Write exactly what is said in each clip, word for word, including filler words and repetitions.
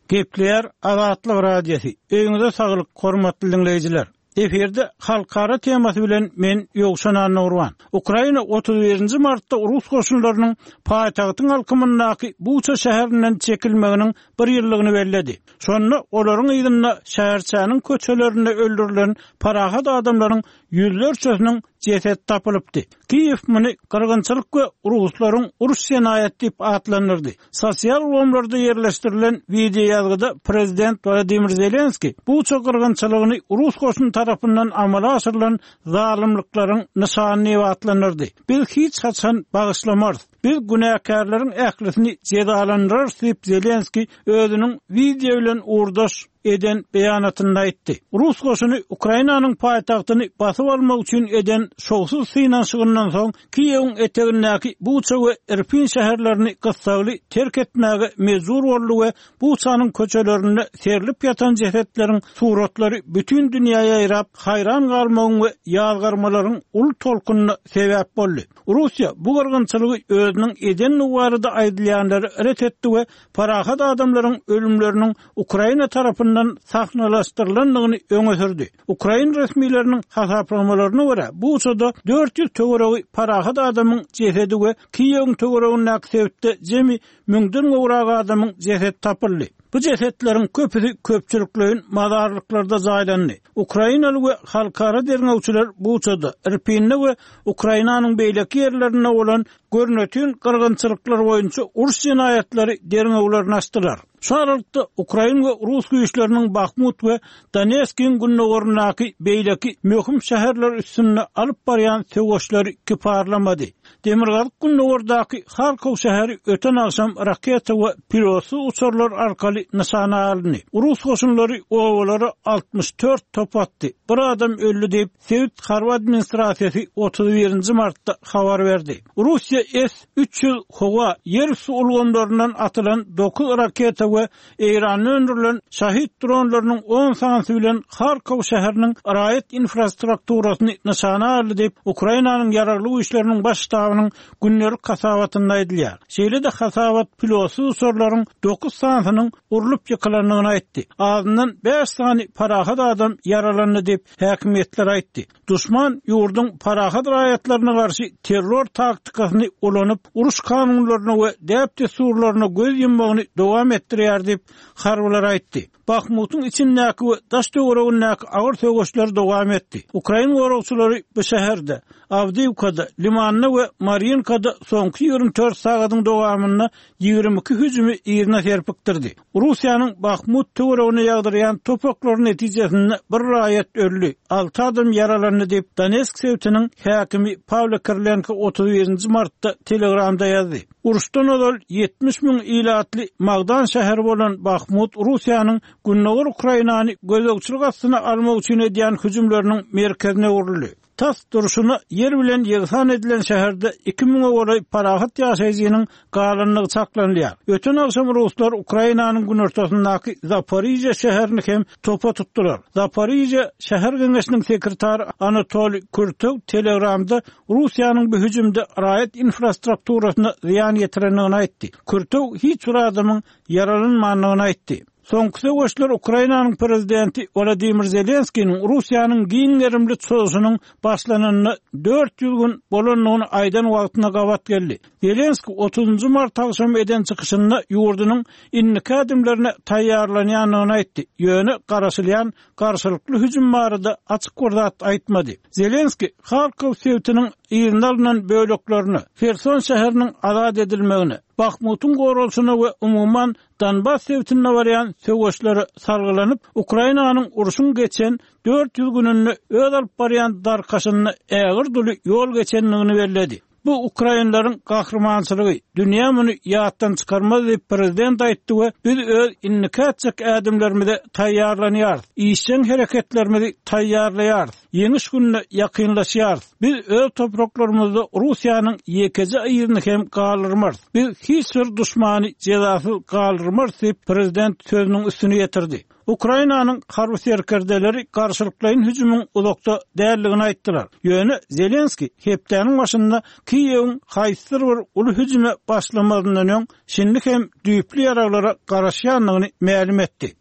Gepleýär Azatlyk Radiosy. Öýüňize saglyk, hormatly diňleýjiler. Efirde halkara temasy bilen men Ýowşan Annagurban. Ukraina otuz birinji martda rus goşunlarynyň paýtagtyň alkymyndaky Buça şäherinden çekilmeginiň bir ýyllygyny belledi. Şonda olaryň yzynda şäherçäniň köçelerinde öldürilen parahat adamlaryň ýüzlerçesiniň jeset tapylypdy. Kiýew muny gyrgynçylyk we ruslaryň uruş jenaýaty diýip atlandyrdy. Sosial ulgamlarda ýerleşdirilen wideo ýazgyda prezident Wladimir Zelenski Buça gyrgynçylygyny rus goşuny tarapyndan amala aşyrylan zalymlyklaryň nyşany diýip atlandyrdy. Biz hiç haçan bagyşlamarys. Biz günäkärleriň ählisini jezalandyrarys diýip Zelenski özüniň wideo bilen uğurdaş eden beýanatynda aýtdy. Rus goşuny Ukrainanyň paýtagtyny basyp almak üçin eden şowsuz synanyşygyndan soň Kiýewiň etegindäki Buça we Irpin şäherlerini gyssagly terk etmäge mejbur boldy we Buçanyň köçelerinde serilip ýatan jesetleriň suratlary bütün dünýäye ýaýrap, haýran galmagyň we ýazgarmalaryň uly tolkunyna sebäp boldy. Russiýa bu gyrgynçylygy özüniň eden barada aýdylýanlary ret etdi we parahat adamlaryň ölümleriniň Ukraina tarapyndan sahnalaşdyrylandygyny öňe sürdi. Ukrain resmileriniň hasaplamalaryna görä, Buçada dört ýüz töweregi parahat adamyň jesedi we Kiýewiň töweregindäki sebitde jemi müňden gowrak adamyň jesedi tapyldy. Bu jesetleriň köpüsi köpçülikleýin mazarlyklarda jaýlandy. Ukrainaly we halkara derňewçiler Buçada, Irpinde we Ukrainanyň beýleki ýerlerinde bolan görnütün gyrgynçylyklar boýunça uruş jenaýatlary derňewlerini açdylar. Şu aralykda Ukrain we Rus güýçleriniň Bahmut we Donetskiň gündogaryndaky beýleki möhüm şäherler üstünde alyp barýan söweşleri kiparlamady. Demirgazyk gündogardaky Harkov şäheri öten akşam raketa we pilotsyz uçarlar arkaly nyşana alyndy. Rus goşunlary obalara altmyş dört top atdy. Bir adam öldü diýip Sebit harby administrasiýasy otuz birinji martda habar berdi. Russiýa S üç ýüz howa ýer üstü ulgamlaryndan atylan dokuz raketa we Eýranda öndürilen Şahid dronlarynyň on sanysy bilen Harkov şäheriniň raýat infrastrukturasyny nyşana aldy diýip Ukrainanyň ýaragly güýçleriniň baş ştabynyň gündelik hasabatynda aýdylýar. Şeýle-de hasabat pilotsyz uçarlaryň dokuz sanysynyň urlup ýykylandygyny aýtdy. Azyndan bäş sany parahat adam ýaralandy diýip häkimiýetler aýtdy. Düşman ýurduň parahat raýatlaryna garşy terror taktikasyny ulanyp, uruş kanunlaryna we däp-dessurlaryna göz ýummagyny dowam etdirýär diýip harbylar aýtdy. Bahmutyň içindäki we daş töweregindäki agyr söweşler dowam etdi. Ukrain goragçylary bu şäherde, Awdiýewkada, Limanda we Mariinkada soňky ýigrimi dört sagatyň dowamynda ýigrimi iki hüjümi ýerine serpikdirdi. Russiýanyň Bahmut töweregine ýagdyrýan topaklary netijesinde bir raýat öldi, alty adam ýaralandy diýip Donetsk sebitiniň häkimi Pawlo Kirilenko otuz birinji martda Telegramda ýazdy. Uruşdan ozal ýetmiş müň ilatly Magdan şäheri bolan Bahmut Russiýanyň Gündogar Ukrainany gözegçilik astyna almak üçin edýän hüjümleriniň merkezine öwrüldi. Tas durşuna ýer bilen ýegsan edilen şäherde iki müňe golaý parahat ýaşaýjynyň galanlygy çaklanylýar. Öten akşam ruslar Ukrainanyň günortasyndaky Zaporižýa şäherini hem topa tutdular. Zaporižýa şäher geňeşiniň sekretary Anatoliy Kurtow Telegramda Russiýanyň bu hüjümde raýat infrastrukturasyna zyýan ýetirendigini aýtdy. Kurtow hiç bir adamyň ýaralanmandygyny aýtdy. Soňky söweşler Ukrainanyň prezidenti Wladimir Zelenskiniň Russiýanyň giň gerimli çozuşynyň başlananyna dört ýüz gün bolandygyny aýdan wagtyna gabat geldi. Zelenski otuzynjy mart akşamy eden çykyşynda ýurdunyň indiki ädimlerine taýýarlanýandygyny aýtdy. Ýöne garaşylýan garşylykly hüjüm barada açyk bir zat aýtmady. Zelenski Harkov sebitiniň yzyna alynan böleklerine, Herson şäheriniň azat edilmegine, Bahmutyň goralşyna we umuman Donbas sebitinde barýan söweşlere salgylanyp, Ukrainanyň urşuň geçen dört ýüz gününde öz alyp barýan darkaşynda ägir duly ýol geçendigini belledi. Bu Ukrainlaryň gahrymançylygy, dünýä muny ýatdan çykarmaz diýip prezident aýtdy we biz öz indiki ätjek ädimlerimize taýýarlanýarys, işjeň hereketlerimizi taýýarlaýarys. Ýeňiş gününe ýakynlaşýarys. Biz öz topraklarymyzda Russiýanyň ýekeje yzyny hem galdyrmarys. Biz hiç bir duşmany jezasyz galdyrmarys diýip, prezident sözüniň üstüni ýetirdi. Ukrainanyň harby serkerdeleri garşylyklaýyn hüjümiň uzakda däldigini aýtdylar. Ýöne Zelenski hepdäniň başynda Kiýewiň haýsydyr bir uly hüjüme başlamazyndan öň şindi hem düýpli ýaraglara garaşýandygyny mälim etdi.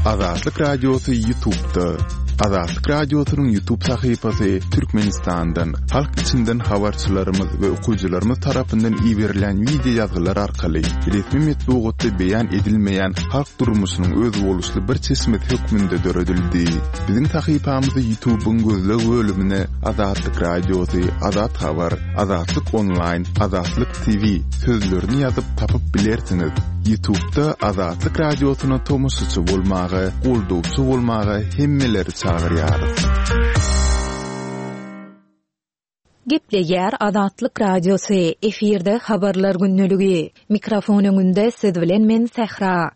Azatlyk Radiosy YouTube'da. Azatlyk Radiosynyň YouTube sahypasy Türkmenistandan, halk içinden habarçylarymyz we okyjylarymyz tarapyndan iberilen wideo ýazgylar arkaly resmi metbugatda beýan edilmeýän halk durmuşynyň özboluşly bir çeşmesi hökmünde döredildi. Biziň sahypamyzy YouTube'yň gözleg bölümine Azatlyk Radiosy, Azat Habar, Azatlyk Online, Azatlyk T V sözlerini ýazyp tapyp bilersiňiz. YouTube'da Azatlyk Radiosyna tomaşaçy bolmaga, goldawçy bolmaga hemmeleri çagyrýarys. Gepleýär Azatlyk Radiosy, efirde habarlar gündeligi. Mikrofon öňünde siz bilen men Sähra.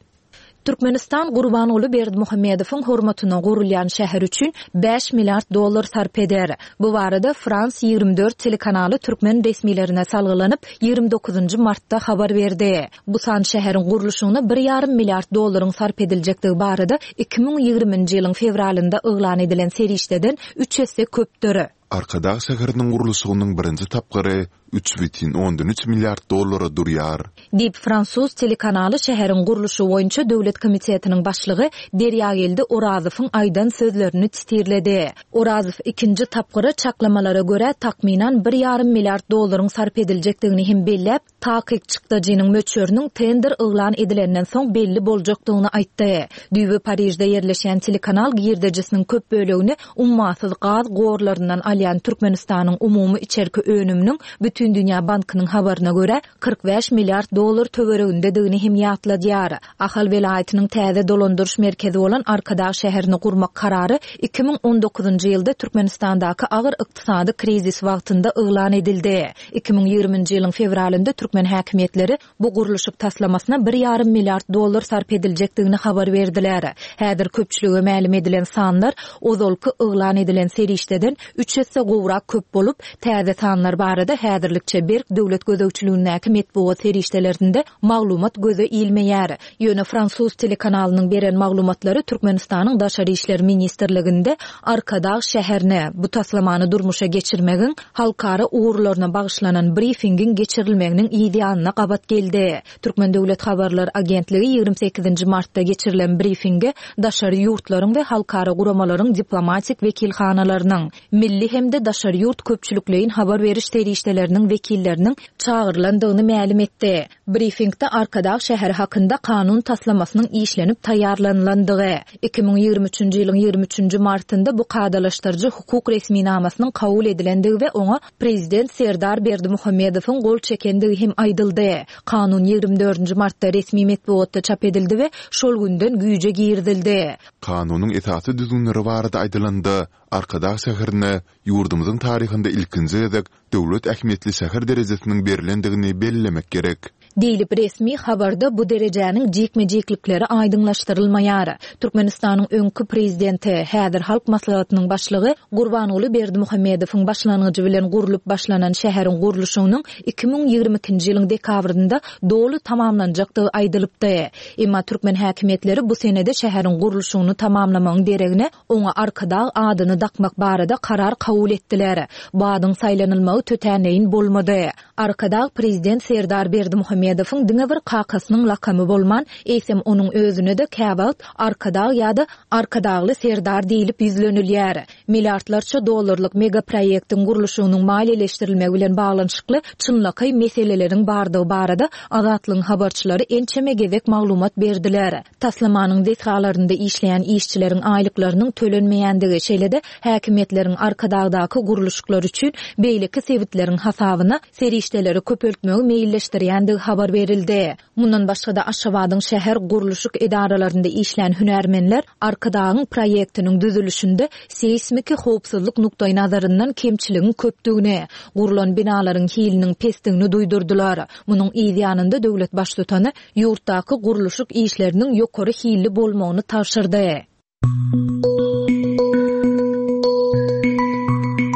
Türkmenistan Gurbanguly Berdimuhamedowyň hormatyna gurulýan şäher üçin bäş milliard dollar sarp eder. Bu barada Frans ýigrimi dört telekanaly türkmen resmilerine salgylanyp, ýigrimi dokuzynjy martda habar berdi. Bu san şäheriň gurluşygyna bir ýarym milliard dollaryň sarp ediljekdigi barada iki müň ýigriminji ýylyň fewralynda yglan edilen serişdeden üç esse köpdür. Arkadag şäheriniň gurluşygynyň birinji tapgyry üç bütin ondan üç milliard dollara durýar. Diýip, fransuz telekanaly şäheriň gurluşygy boýunça döwlet komitetiniň başlygy Derýageldi Orazowyň aýdan sözlerini titirledi. Orazow ikinji tapgyra çaklamalara görä takmynan bir ýarym milliard dollaryň sarp ediljekdigini hem belläp, takyk çykdajynyň möçberiniň tender yglan edilenden soň belli boljakdygyny aýtdy. Düýbi Parižde ýerleşen telekanal girdejisiniň köp bölegini ummasyz gaz gorlaryndan alýan Türkmenistanyň umumy içerki önüminiň Bütindünýä Bankynyň habaryna görä kyrk bäş milliard dollar töweregindedigini hem ýatladýar. Ahal welaýatynyň täze dolandyryş merkezi bolan Arkadag şäherini gurmak karary iki müň on dokuzynjy ýylda Türkmenistandaky agyr ykdysady krizis wagtynda yglan edildi. Iki müň ýigriminji ýylyň fewralynda türkmen häkimiýetleri bu gurluşyk taslamasyna bir ýarym milliard dollar sarp ediljekdigini habar berdiler. Häzir köpçülige mälim edilen sanlar ozalky yglan edilen serişdeden üç esse gowrak köp bolup, täze sanlar barada häzirlikçe berk döwlet gözegçiligindäki metbugat serişdelerinde maglumat göze ilmeýär. Ýöne fransuz telekanalynyň beren maglumatlary Türkmenistanyň Daşary işler ministrliginde Arkadag şäherine bu taslamany durmuşa geçirmegiň halkara ugurlaryna bagyşlanan briefingiň geçirilmeginiň ýanyna gabat geldi. Türkmen Döwlet Habarlar Agentligi ýigrimi sekizinji martda geçirilen briefinge daşary ýurtlaryň we halkara guramalaryň diplomatik wekilhanalarynyň, milli hem-de daşary ýurt köpçülikleýin habar beriş serişdeleriniň wekilleriniň çagyrylandygyny mälim etdi. Briefingde Arkadag şäheri hakynda kanun taslamasynyň işlenip taýýarlanylandygy, iki müň ýigrimi üçünji ýylyň ýigrimi üçünji martynda bu kadalaşdyryjy hukuk resminamasynyň kabul edilendigi we oňa Prezident Serdar Berdimuhamedowyň gol çekendigi hem aýdyldy. Kanun ýigrimi dördünji martda resmi metbugatda çap edildi we şol günden güýje girizildi. Kanunyň esasy düzgünleri barada aýdylanda, Arkadag şäherine ýurdumyzyň taryhynda ilkinji gezek döwlet ähmiýetli şäher derejesiniň berilendigini bellemek gerek. Diýlip resmi habarda bu derejäniň jikme-jiklikleri aýdyňlaşdyrylmaýar. Türkmenistanyň öňki prezidenti, häzir Halk Maslahatynyň başlygy Gurbanguly Berdimuhamedowyň başlangyjy bilen gurlup başlanan şäheriň gurluşygynyň iki müň ýigrimi ikinji ýylyň dekabrynda doly tamamlanjakdygy aýdylypdy. Emma türkmen häkimiýetleri bu senede şäheriň gurluşygyny tamamlamagyň deregine oňa Arkadag adyny dakmak barada karar kabul etdiler. Bu adyň saýlanylmagy tötänleýin bolmady. Arkadag prezident Serdar Berdimuhamedowyň diňe bir kakasynyň lakamy bolman, eýsem onuň özüne de käwagt Arkadag ýa-da Arkadagly Serdar diýlip ýüzlenilýär. Milliardlarça dollarlyk mega proýektiň gurluşygynyň maliýeleşdirilmegi bilen baglanyşykly çynlakaý meseleleriň bardygy barada Azatlygyň habarçylary ençeme gezek maglumat berdiler. Taslamanyň desgalarynda işleýän işçileriň aýlyklarynyň tölenmeýändigi, şeýle-de häkimiýetleriň Arkadagdaky gurluşyklar üçin beýleki sebitleriň hasabyna serişdeleri köpeltmegi meýilleşdirýändigi habar habar berildi. Mundan başga-da Aşgabadyň şäher gurluşyk edaralarynda işlän hünärmenler Arkadagyň proýektiniň düzülişinde seýsmiki howpsuzlyk nukdaýnazaryndan kemçiligiň köpdügini, gurlan binalaryň hiliniň pesdigini duýdurdylar. Munuň yz ýanynda döwlet Baştutany ýurtdaky gurluşyk işleriniň ýokary hilli bolmagyny tabşyrdy.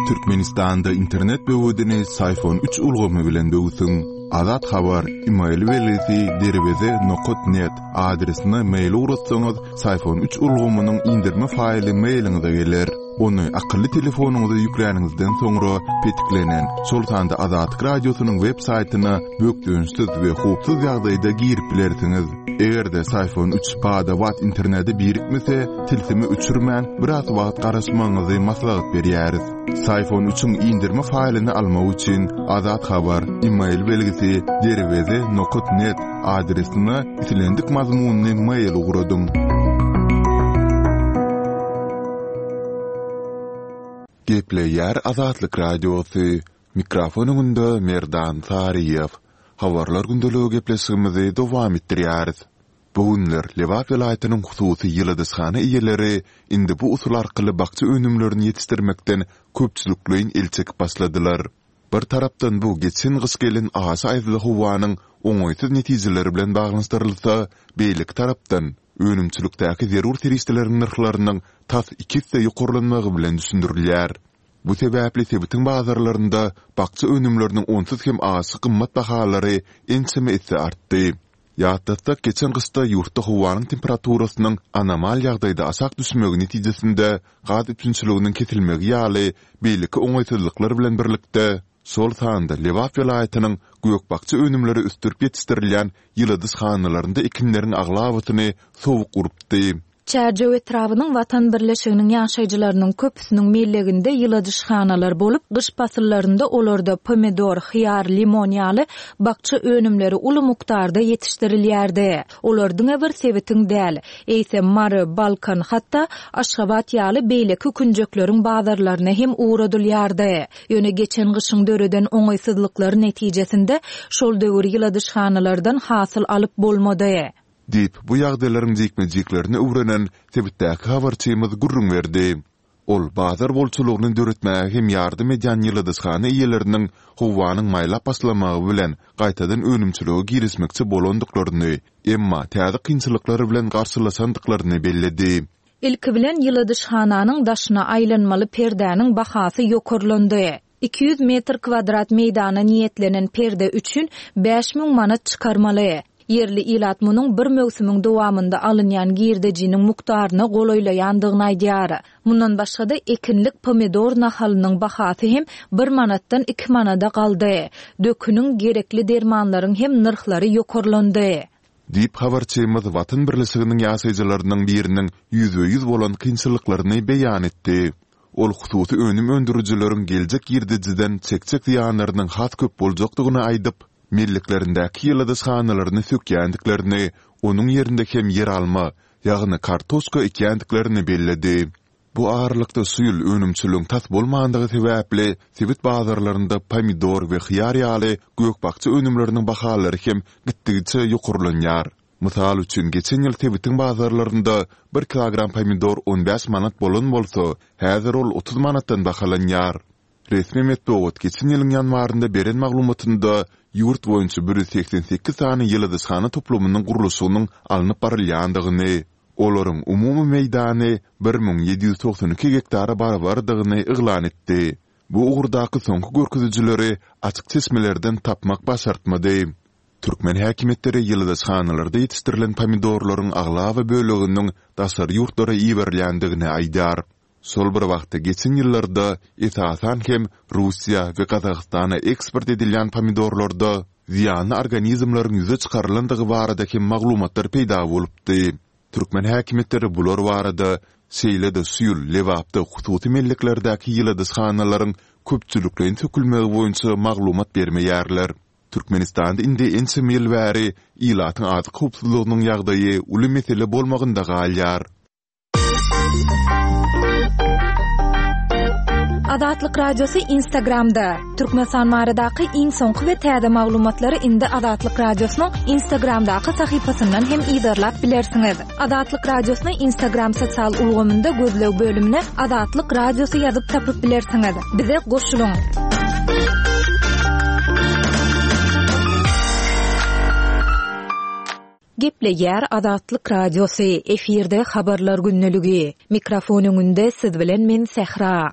Türkmenistanda internet böwedini Syfon üç ulgamy bilen böwsüň. Azat Habar, email belgisi derweze nokat net adresine mail ugratsaňyz, Syfon üç ulgamynyň indirme faýly mailiňize geler. Ony akylly telefonyňyza ýükläniňizden soňra petiklenen, şol sanda Azatlyk Radiosynyň web saýtyna bökdençsiz we howpsuz ýagdaýda girip bilersiňiz. Eger-de Syfon üç bada-bat internete birikmese, tilsimi öçürmän, biraz wagt garaşmagyňyzy maslahat berýäris. Syfon üçüň indirme faýlyny almak üçin Azat Habar, email belgisi derweze nokat net adresine islendik mazmunly mail ugradyň. Gepleýär Azatlyk Radiosy. Mikrofon öňünde Merdan Saryýew. Habarlar gündeligi gepleşigimizi dowam etdirýäris. Bu günler Lebap welaýatynyň hususy ýyladyşhana eýeleri indi bu usul arkaly bakja önümlerini ýetişdirmekden köpçülikleýin el çekip başladylar. Bir tarapdan bu geçen gyş gelen aşa aýazly howanyň oňaýsyz netijeleri bilen baglanyşdyrylsa, beýleki tarapdan önümçilikdäki zerur serişdeleriň nyrhlarynyň tas iki esse ýokarlanmagy bilen düşündirilýär. Bu sebäpli sebitiň bazarlarynda bakja önümleriniň onsuz hem aşa gymmat bahalary ençeme esse artdy. Ýatlatsak, geçen gyşda ýurtda howanyň temperaturasynyň anomal ýagdaýda aşak düşmegi netijesinde gaz üpjünçiliginiň kesilmegi ýaly beýleki oňaýsyzlyklar bilen birlikde, şol sanda Lebap welaýatynyň gök-bakja önümleri ösdürip ýetişdirilýän ýyladyşhanalarynda ekinleriň aglabasyny sowuk urupdy. Çärjew etrabynyň Watan birleşiginiň ýaşaýjylarynyň köpüsiniň melleginde ýyladyşhanalar bolup, gyş pasyllarynda olarda pomidor, hyýar, limon ýaly bakja önümleri uly mukdarda ýetişdirilýärdi. Olar diňe bir sebitiň däl, eýsem Mary, Balkan, hatda Aşgabat ýaly beýleki künjekleriň bazarlaryna hem ugradylýardy. Ýöne geçen gyşyň döreden oňaýsyzlyklary netijesinde şol döwür ýyladyşhanalardan hasyl alyp bolmady. Diýip, bu ýagdaýlaryň jikme-jiklerini öwrenen sebitdäki habarçymyz gürrüň berdi. Ol bazar bolçulygyny döretmäge hem ýardam edýän ýyladyşhana eýeleriniň howanyň maýlap başlamagy bilen gaýtadan önümçilige girişmekçi bolandyklaryny, emma täze kynçylyklar bilen garşylaşandyklaryny belledi. Ilki bilen ýyladyşhananyň daşyna aýlanmaly perdäniň bahasy ýokarlandy. Iki ýüz metr kwadrat meýdana niýetlenen perde üçin bäş müň manat çykarmaly. Ýerli ilat munuň bir möwsümiň dowamynda alynýan girdejiniň mukdaryna golaýlaýandygyny aýdýar. Mundan başga-da ekinlik pomidor nahalynyň bahasy hem bir manatdan iki manada galdy. Döküniň, gerekli dermanlaryň hem nyrhlary ýokarlandy. Diýip, habarçymyz Watan birleşiginiň ýaşaýjylarynyň biriniň ýüzbe-ýüz bolan kynçylyklaryny beýan etdi. Ol hususy önüm öndürijileriň geljek girdejiden çekjek zyýanlarynyň has köp boljakdygyny aýdyp, melleklerindäki ýyladyşhanalaryny sökýändiklerini, onuň ýerinde hem ýeralma, ýagny kartoşka ekýändiklerini belledi. Bu aralykda şu ýyl önümçiligiň tas bolmandygy sebäpli sebit bazarlarynda pomidor we hyýar ýaly gök-bakja önümleriniň bahalary hem gitdigiçe ýokarlanýar. Mysal üçin, geçen ýyl sebitiň bazarlarynda bir kilogram pomidor on bäş manat bolan bolsa, häzir ol otuz manatdan bahalanýar. Resmi metbugat geçen ýylyň ýanwarynda beren maglumatynda ýurt boýunça bir ýüz segsen sekiz sany ýyladyşhana toplumynyň gurluşygynyň alnyp barylýandygyny, olaryň umumy meýdany bir müň ýedi ýüz togsan iki gektara barabardygyny yglan etdi. Bu ugurdaky soňky görkezijileri açyk çeşmelerden tapmak başartmady. Türkmen häkimiýetleri ýyladyşhanalarda ýetişdirilen pomidorlaryň aglaba böleginiň daşary ýurtlara iberilýändigini aýdýar. Şol bir wagtda geçen ýyllarda esasan hem Russiýa we Gazagystana eksport edilýän pomidorlarda zyýanly organizmleriň ýüze çykarylandygy barada hem maglumatlar peýda bolupdy. Türkmen häkimiýetleri bular barada, şeýle-de şu ýyl Lebapda hususy melleklerdäki ýyladyşhanalaryň köpçülikleýin sökülmegi boýunça maglumat bermeýärler. Türkmenistanda indi ençeme ýyl bäri ilatyň azyk howpsuzlygynyň ýagdaýy uly mesele bolmagynda galýar. Azatlyk Radiosy Instagramda. Türkmenistan baradaky iň soňky we täze maglumatlary indi Azatlyk Radiosynyň Instagramdaky sahypasyndan hem yzarlap bilersiňiz. Azatlyk Radiosyny Instagram sosial ulgamynda gözleg bölümine Azatlyk Radiosy ýazyp tapyp bilersiňiz. Bize goşulyň. Gepleýär Azatlyk Radiosy, efirde habarlar gündeligi. Mikrofon öňünde siz bilen men Sähra.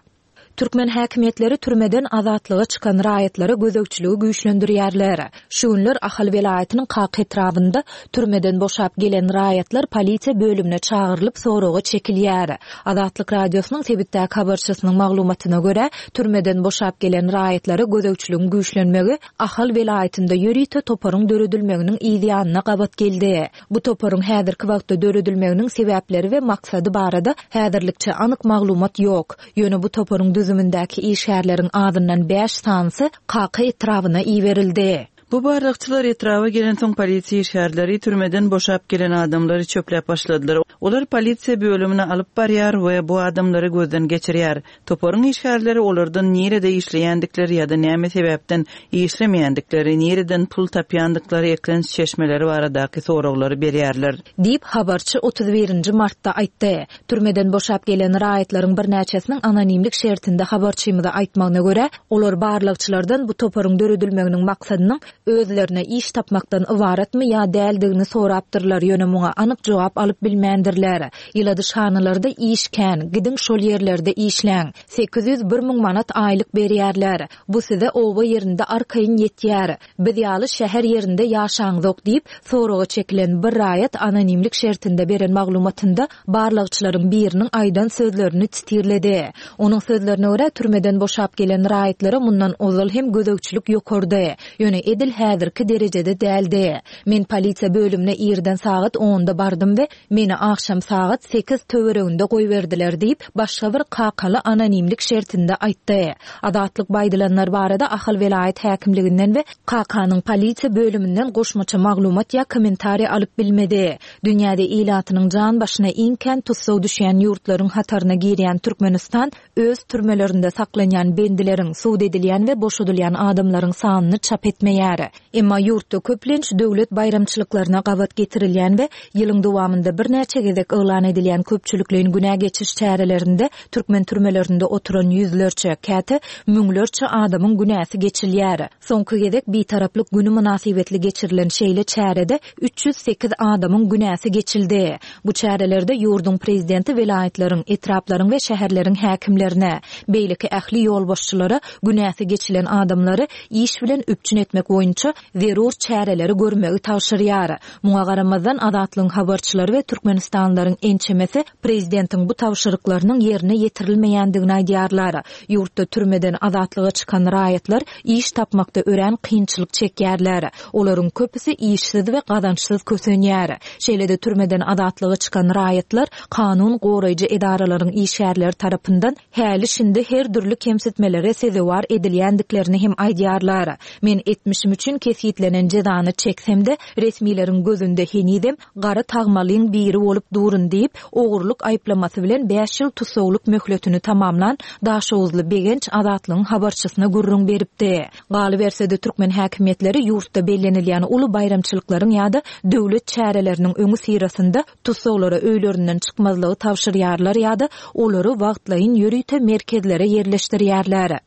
Türkmen häkimiýetleri türmeden azatlyga çykan raýatlara gözegçiligi güýçlendirýärler. Şu günler Ahal welaýatynyň Kaka etrabynda türmeden boşap gelen raýatlar polisiýa bölümine çagyrylyp soraga çekilýär. Azatlyk Radiosynyň sebitdäki habarçysynyň maglumatyna görä, türmeden boşap gelen raýatlara gözegçiligiň güýçlenmegi Ahal welaýatynda ýörite toparyň döredilmeginiň ýanyna gabat geldi. Bu toparyň häzirki wagtda döredilmeginiň sebäpleri we maksady barada häzirlikçe anyk maglumat ýok. Ýöne bu toparyň düzümindäki işgärleriň azyndan bäş sanysy Kaka etrabyna iberildi. Bu barlagçylar etraba gelen soň polisiýa işgärleri türmeden boşap gelen adamlary çöpläp başladylar. Olar polisiýa bölümine alyp barýar we bu adamlary gözden geçirýär. Toparyň işgärleri olardan nirede işleýändikleri ýa-da näme sebäpden işlemeýändikleri, nireden pul tapýandyklary eklenç çeşmeleri baradaky soraglary berýärler. Diýip habarçy otuz birinji martda aýtdy. Türmeden boşap gelen raýatlaryň birnäçesiniň anonimlik şertinde habarçymyza aýtmagyna görä, olar barlagçylardan bu toparyň döredilmeginiň maksadynyň özlerine iş tapmakdan ybaratmy ýa däldigini sorapdyrlar, ýöne muňa anyk jogap alyp bilmändirler. Ýyladyşhanalarda iş kän, gidiň şol ýerlerde işläň. sekiz ýüz bir müň manat aýlyk berýärler. Bu size oba ýerinde arkaýyn ýetýär. Biz ýaly şäher ýerinde ýaşaňzok diýip, soraga çekilen bir raýat anonimlik şertinde beren maglumatynda barlagçylaryň biriniň aýdan sözlerini titirledi. Onuň sözlerine görä, türmeden boşap gelen raýatlara mundan ozal hem gözegçilik ýokardy. Ýöne edil häzirki derejede däldi. Men polisiýa bölümine irden sagat onda bardym we meni akşam sagat sekiz töwereginde goýberdiler diýip, başga bir kakaly anonimlik şertinde aýtdy. Azatlyk baýdylanlar barada Ahal welaýat häkimliginden we Kakanyň polisiýa bölüminden goşmaça maglumat ýa kommentariý alyp bilmedi. Dünýäde ilatynyň jan başyna iň kän tussag düşýän ýurtlaryň hataryna girýän Türkmenistan öz türmelerinde saklanýan bendileriň, sud edilýän we boşadylýan adamlaryň sanyny çap etmeýär. Emma ýurtda köplenç döwlet baýramçylyklaryna gabat getirilýän we ýylyň dowamynda birnäçe gezek yglan edilýän köpçülikleýin günä geçiş çärelerinde türkmen türmelerinde oturan ýüzlerçe, käte müňlerçe adamyň günäsi geçilýär. Soňky gezek bitaraplyk günü mynasybetli geçirilen şeýle çärede üç ýüz sekiz adamyň günäsi geçildi. Bu çärelerde ýurduň prezidenti welaýatlaryň, etraplaryň we şäherleriň häkimlerine, beýleki ähli ýolbaşçylara günäsi geçilen adamlary iş bilen üpjün etmek boýunça zerur çäreleri görmegi tabşyrýar. Muňa garamazdan Azatlygyň habarçylary we Türkmenistanlylaryň ençemesi prezidentiň bu tabşyryklarynyň ýerine ýetirilmeýändigini aýdýarlar. Ýurtda türmeden azatlyga çykan raýatlar iş tapmakda örän kynçylyk çekýärler. Olaryň köpüsi işsiz we gazançsyz kösenýär. Şeýle-de türmeden azatlyga çykan raýatlar kanun goraýjy edaralaryň işgärleri tarapyndan häli şindi her dürli kemsitmelere sezewar edilýändiklerini hem aýdýarlar. Men etmişim üçin kesgitlenen jezany çeksem-de resmileriň gözünde henizem gara tagmalyň biri bolup durun diýip, ogurlyk aýyplamasy bilen bäş ýyl tussaglyk möhletini tamamlan Daşoguzly Begenç Azatlygyň habarçysyna gürrüň beripdi. Galyberse-de türkmen häkimiýetleri ýurtda bellenilýän uly baýramçylyklaryň ýa-da döwlet çäreleriniň öňi syrasynda tussaglara öýlerinden çykmazlygy tabşyrýarlar ýa-da olary wagtlaýyn ýörite merkezlere ýerleşdirýärler.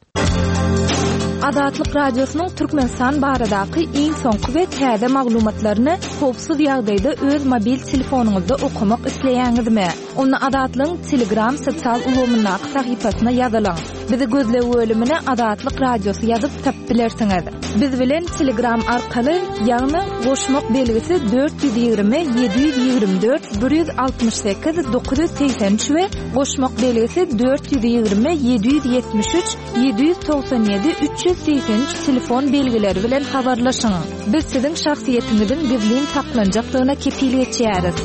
Azatlyk Radiosynyň Türkmenistan baradaky iň soňky we täze maglumatlaryny howpsuz ýagdaýda öz mobil telefonyňyzda okamak isleýäňizmi? Onda Azatlygyň Telegram sosial ulgamyndaky sahypasyna ýazylyň. Bizi gözleg bölümine Azatlyk Radiosy ýazyp tapyp bilersiňiz. Biz bilen Telegram arkaly, ýagny goşmak belgisi dört ýüz ýigrimi ýedi ýüz ýigrimi dört bir ýüz altmyş sekiz dokuz ýüz segsen üç we goşmak belgisi dört ýüz ýigrimi ýedi ýüz ýetmiş üç ýedi ýüz togsan ýedi üç ýüz segsen üç telefon belgileri bilen habarlaşyň. Biz siziň şahsyýetiňiziň gizlin saklanjakdygyna kepil geçýäris.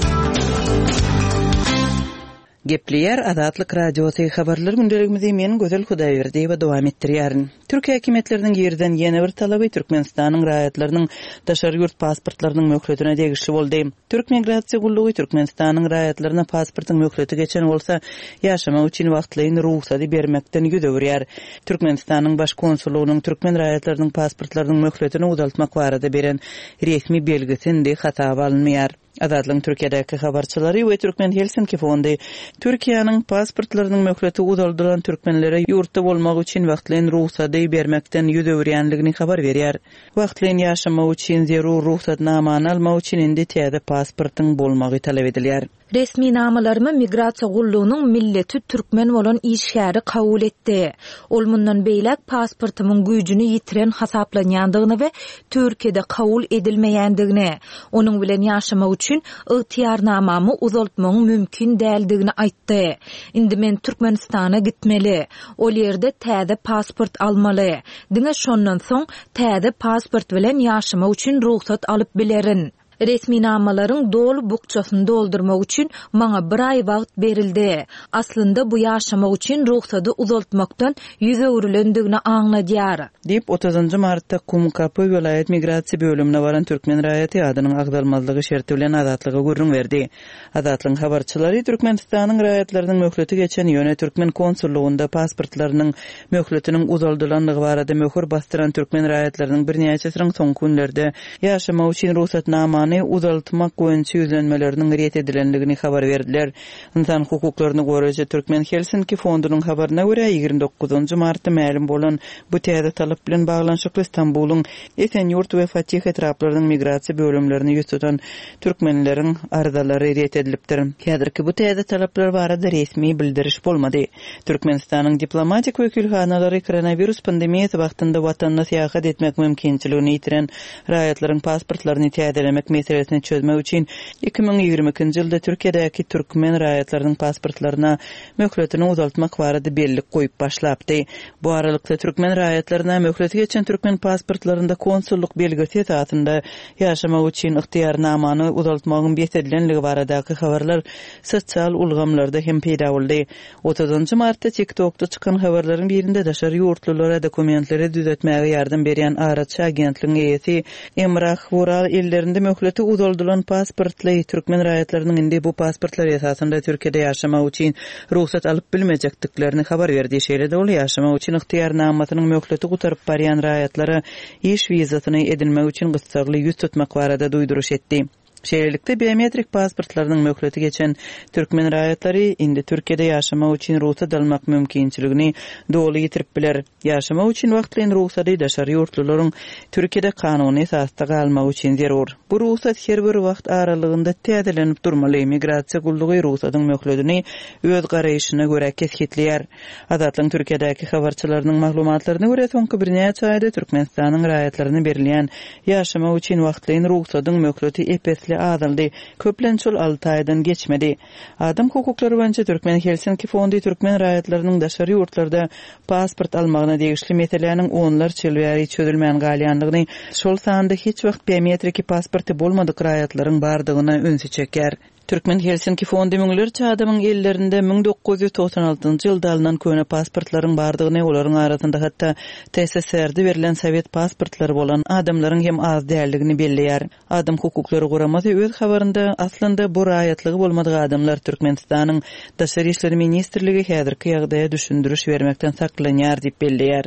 Gepleýär Azatlyk Radiosy habarlar gündeligimizi men Gözel Hudaýberdiýewa dowam etdirýärin. Türk häkimiýetleriniň girizen ýene bir talaby Türkmenistanyň raýatlarynyň daşary ýurt pasportlarynyň möhletine degişli boldy. Türk migrasiýa gullugy Türkmenistanyň raýatlaryna pasportyň möhleti geçen bolsa, ýaşamak üçin wagtlaýyn rugsady bermekden ýüz öwürýär. Türkmenistanyň baş konsullygynyň türkmen raýatlarynyň pasportlarynyň möhletini uzaltmak barada beren resmi belgisi indi hasaba alynmaýar. Azatlygyň Türkiýedäki habarçylary we Türkmen Helsinki fondy Türkiýäniň pasportlarynyň möhleti uzaldylan türkmenlere ýurtda bolmak üçin wagtlaýyn rugsady bermekden ýüz öwürýänligini habar berýär. Wagtlaýyn ýaşamak üçin zerur rugsatnamany almak üçin indi täze pasportyň bolmagy talap edilýär. Resminamalarymy migrasiýa gullugynyň milleti türkmen bolan işgäri kabul etdi. Ol mundan beýläk pasportymyň güýjüni ýitiren hasaplanýandygyny we Türkiýede kabul edilmeýändigini, onuň bilen ýaşamak üçin ygtyýarnamamy uzaltmagyň mümkin däldigini aýtdy. Indi men Türkmenistana gitmeli. Ol ýerde täze pasport almaly. Diňe şondan soň täze pasport bilen ýaşamak üçin rugsat alyp bilerin. Resminamalaryň doly bukjasyny doldurmak üçin maňa bir aý wagt berildi. Aslynda bu ýaşamak üçin rugsady uzaltmakdan ýüz öwrülendigini aňladýar. Diýip otuzynjy martda Kumkapy welaýat migrasiýa bölümine baran türkmen raýaty adynyň agzalmazlygy şerti bilen Azatlyga gürrüň berdi. Azatlygyň habarçylary Türkmenistanyň raýatlarynyň möhleti geçen ýöne türkmen konsullugynda pasportlarynyň möhletiniň uzaldylandygy barada möhür basdyran türkmen raýatlarynyň birnäçesiniň soňky günlerde ýaşamak üçin rugsatnamany uzaltmak boýunça ýüzlenmeleriniň ret edilendigini habar berdiler. Insan hukuklaryny goraýjy Türkmen Helsinki fondunyň habaryna görä ýigrimi dokuzynjy martda mälim bolan bu täze talap bilen baglanyşykly Stambulyň Esenýurt we Fatih etraplarynyň migrasiýa bölümlerini ýüz tutan türkmenleriň arzalary ret edilipdir. Häzirki bu täze talaplar barada resmi bildiriş bolmady. Türkmenistanyň diplomatik wekilhanalary koronawirus pandemiýasy wagtynda watanyna syýahat etmek mümkinçiligini ýitiren raýatlaryň pasportlaryny täzelemek meselesini çözmek üçin iki müň ýigrimi ikinji ýylda Türkiýedäki türkmen raýatlarynyň pasportlaryna möhletini uzaltmak barada bellik goýup başlapdy. Bu aralykda türkmen raýatlaryna möhleti geçen türkmen pasportlarynda konsullyk belgisi esasynda ýaşamak üçin ygtyýarnamany uzaltmagyň bes edilenligi baradaky habarlar sosial ulgamlarda hem peýda boldy. Otuzynjy martda TikTokda çykan habarlaryň birinde daşary ýurtlulara dokumentleri düzetmäge ýardam berýän araçy agentligiň eýesi Emrah Vural ellerinde möhleti uzaldylan pasportly türkmen raýatlarynyň indi bu pasportlar esasynda Türkiýede ýaşamak üçin rugsat alyp bilmejekdiklerini habar berdi. Şeýle-de ol ýaşamak üçin ygtyýarnamasynyň möhleti gutaryp barýan raýatlara iş wizasyny edinmek üçin gyssagly ýüz tutmak barada duýduryş etdi. Şeýlelikde biometrik pasportlarynyň möhleti geçen türkmen raýatlary indi Türkiýede ýaşamak üçin rugsat almak mümkinçiligini doly ýitirip biler. Ýaşamak üçin wagtlaýyn rugsady daşary ýurtlularyň Türkiýede kanuny esasda galmagy üçin zerur. Bu rugsat her bir wagt aralygynda täzelenip durmaly. Migrasiýa gullugy rugsadyň möhletini öz garaýşyna görä kesgitleýär. Azatlygyň Türkiýedäki habarçylarynyň maglumatlaryna görä soňky birnäçe aýda Türkmenistanyň raýatlaryna berilýän ýaşamak üçin wagtlaýyn rugsadyň möhleti ep-esli azaldy. Köplenç ol alty aýdan geçmedi. Adam hukuklary boýunça Türkmen Helsinki fondy türkmen raýatlarynyň daşary ýurtlarda pasport almagyna degişli meseläniň onlarça ýyl bäri çözülmän galýandygyny, şol sanda hiç wagt biometriki pasporty bolmadyk raýatlaryň bardygyna ünsi çekýär. Türkmen Helsinki fondy müňlerçe adamyň ellerinde müň dokuz ýüz togsan altynjy ýylda alynan köne pasportlaryň bardygyny, olaryň arasynda hatda T S S R-de berlen sowet pasportlary bolan adamlaryň hem az däldigini belleýär. Adam hukuklary guramasy öz habarynda aslynda bu raýatlygy bolmadyk adamlar Türkmenistanyň Daşary işler ministrligi häzirki ýagdaýa düşündiriş bermekden saklanýar diýip belleýär.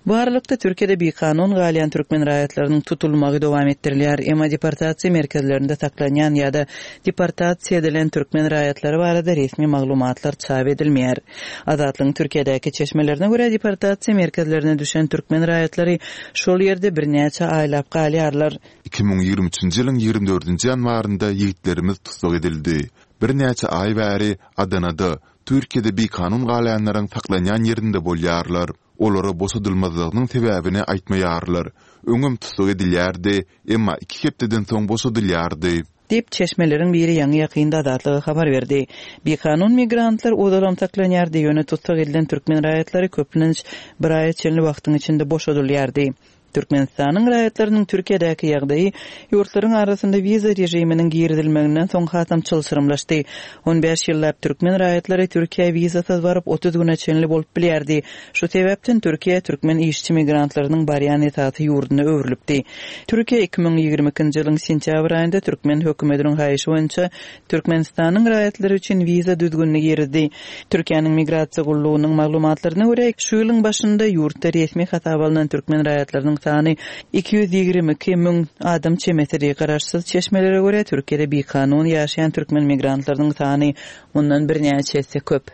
Bu aralykda Türkiýede bikanun galýan türkmen raýatlarynyň tutulmagy dowam etdirilýär. Emma deportasiýa merkezlerinde saklanýan ýa-da deportasiýa edilen türkmen raýatlary barada resmi maglumatlar çap edilmeýär. Azatlygyň Türkiýedäki çeşmelerine görä deportasiýa merkezlerine düşen türkmen raýatlary şol ýerde birnäçe aýlap galýarlar. Iki müň ýigrimi üçünji ýylyň ýigrimi dördünji ýanwarynda ýigitlerimiz tussag edildi. Birnäçe aý bäri Adanada, Türkiýede bikanun galýanlaryň saklanýan ýerinde bolýarlar. Olara boşadylmazlygynyň sebäbini aýtmaýarlar. Öňem tussag edilýärdi, emma iki hepdeden soň boşadylýardy. Diýip çeşmeleriň biri ýaňy ýakynda Azatlyga habar berdi. Bikanun migrantlar ozalam saklanýardy, ýöne tussag edilen türkmen raýatlary köplenç bir aýa çenli wagtyň içinde boşadylýardy. Türkmenistanyň raýatlarynyň Türkiýedäki ýagdaýy ýurtlaryň arasynda wiza režiminiň girizilmeginden soň hasam çylşyrymlaşdy. On bäş ýyllap türkmen raýatlary Türkiýä wizasyz baryp, otuz güne çenli bolup bilýärdi. Şu sebäpden Türkiýe türkmen işçi migrantlarynyň barýan esasy ýurduna öwrülipdi. Türkiýe iki müň ýigrimi ikinji ýylyň sentýabr aýynda türkmen hökümetiniň haýyşy boýunça Türkmenistanyň raýatlary üçin wiza düzgünini girizdi. Türkiýäniň Migrasiýa gullugynyň maglumatlaryna görä, şu ýylyň başynda ýurtda resmi hasaba alnan türkmen raýatlarynyň sany iki ýüz ýigrimi iki müň adam çemesidi. Garaşsyz çeşmelere görä, Türkiýede bikanun ýaşaýan türkmen migrantlarynyň sany mundan birnäçe esse köp.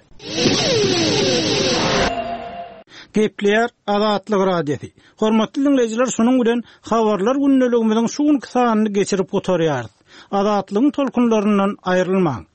Gepleýär Azatlyk Radiosy. Hormatly diňleýjiler, şunuň bilen habarlar gündeligimiziň şu günki sanyny geçirip gutarýarys. Azatlygyň tolkunlaryndan aýrylmaň.